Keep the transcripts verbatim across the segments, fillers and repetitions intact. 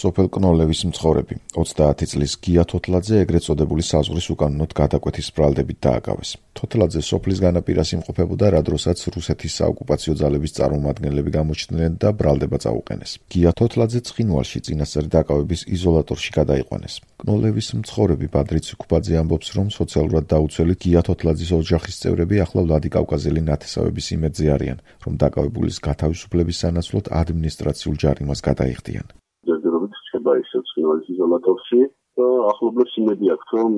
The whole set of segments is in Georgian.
სოფელ კნოლევის მცხოვრები ოცდაათი წლის გია თოთლაძე ეგრეთ წოდებული საზღვრის უკანონოდ გადაკვეთის ბრალდებით დააკავეს. თოთლაძე სოფლის განაპირას იმყოფებოდა, რა დროსაც რუსეთის საოკუპაციო ძალების წარმომადგენლები გამოჩნდნენ და ბრალდება წაუყენეს. გია თოთლაძე ცხინვალში წინასწარი დაკავების იზოლატორში გადაიყვანეს. კნოლევის მცხოვრები ბადრი ციქუბაძე ამბობს, რომ სოციალურად დაუცველი გია თოთლაძის ოჯახის წევრები ახლა ვლადიკავკაზელი ნათესავების იმედზე არიან, რომ დაკავებულის გათავისუფლების სანაცვლოდ ადმინისტრაციულ ჯარიმას გადაიხდიან. ჯერჯერობით რჩება ისევ ცხინვალის იზოლატორში და ახლობლებს იმედი აქვს, რომ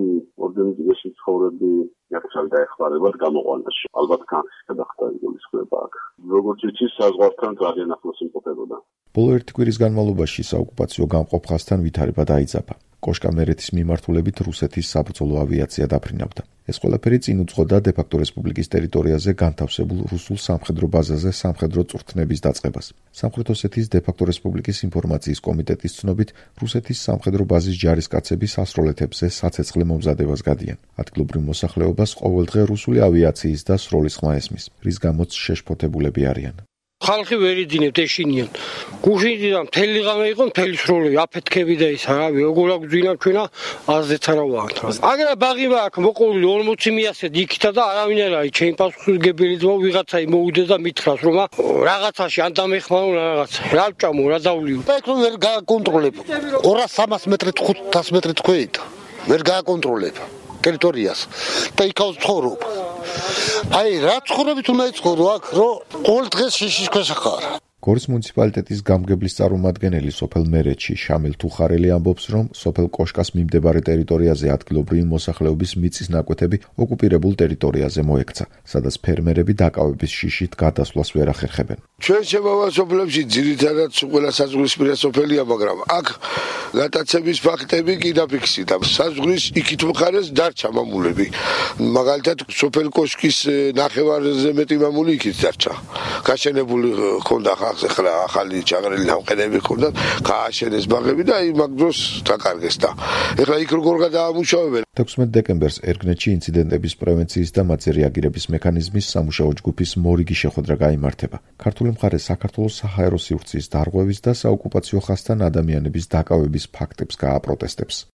ორგანიზაციაში ცხოვრები იახშალ დაეხმარებათ გამოყვანაში. ალბათ განხის გადახდა იგულისხმება აქ. როგორც იცის, საზღვართან ძალიან ახლოს იმყოფებოდა. ბოლო ერთი კვირის განმავლობაში საოკუპაციო გამყოფხასთან ვითარება დაიძაბა. კოშკამერეთის მიმართულებით რუსეთის საბრძოლო ავიაცია დაფრინავდა. ეს ყველაფერი წინ უძღოდა დე-ფაქტო რესპუბლიკის ტერიტორიაზე განთავსებულ რუსულ სამხედრო ბაზაზე სამხედრო წვრთნების დაწყებას. სამხრეთ ოსეთის დე-ფაქტო რესპუბლიკის ინფორმაციის კომიტეტის ცნობით, რუსეთის სამხედრო ბაზის ჯარისკაცები სასროლეთებზე საცეცხლე მომზადებას გადიან. ადგილობრივ მოსახლეობას ყოველდღე რუსული ავიაციის და სროლის ხმა ესმის, რის გამოც შეშფოთებულები არიან. ხალხი ვერ იძინებთ ეშინიან. გუშინიდან მთელი ღამე იყო მთელი სროლი, აფეთქები და ისა, რავი, როგორ აგვძინა ჩვენა აზრით არა ვაყენთ. აგერა ბაღი მაქვს მოყოლი ორმოცი მიასედ იქითა და არავინ არ არის. ჩემი პასუხისმგებელი ძმა ვიღაცა მოუდეს და მითხრას, რომ რაღაცაში ან დამეხმარო რაღაცა. რა ვჭამო, რა დავლიო. და იქ ვერ გააკონტროლებ. ორას სამას მეტრით ხუთას მეტრით ხვეით. ვერ გააკონტროლებ ტერიტორიას და იქაოს ცხოვრობ. აი, რა ცხოვრობით უნდა იცხოვრო აქ, რომ ყოველ დღეს შიშის ქვეშ ხარ. გორის მუნიციპალიტეტის გამგებლის წარმომადგენელი სოფელ მერეთში შამილ თუხარელი ამბობს, რომ სოფელ კოშკას მიმდებარე ტერიტორიაზე ადგილობრივი მოსახლეობის მიწის ნაკვეთები ოკუპირებულ ტერიტორიაზე მოექცა, სადაც ფერმერები დაკავების შიშით გადასვლას ვერ ახერხებენ. ჩვენ შემავალ სოფლებში ძირითადად ყველა საზღვრისპირა სოფელია, მაგრამ აქ გატაცების ფაქტები კი დაფიქსირდა. საზღვრის იქით მხარეს დარჩა მამულები. მაგალითად, სოფელ კოშკის ნახევარზე მეტი მამული იქით დარჩა. გაშენებული ხონდა ახლა ახალი ჩაღრილი ნამყენები ხონდა, გააშენეს ბაღები და აი მაგ დროს დაკარგეს და ეხლა იქ როგორ გადაამუშავებენ. თექვსმეტ დეკემბერს ერგნეთში ინციდენტების პრევენციის და მათზე რეაგირების მექანიზმის სამუშაო ჯგუფის მორიგი შეხვედრა გაიმართება. ქართული მხარე საქართველოს საჰაერო სივრცის დარღვევის და საოკუპაციო ხაზთან ადამიანების დაკავების ფაქტებს გააპროტესტებს.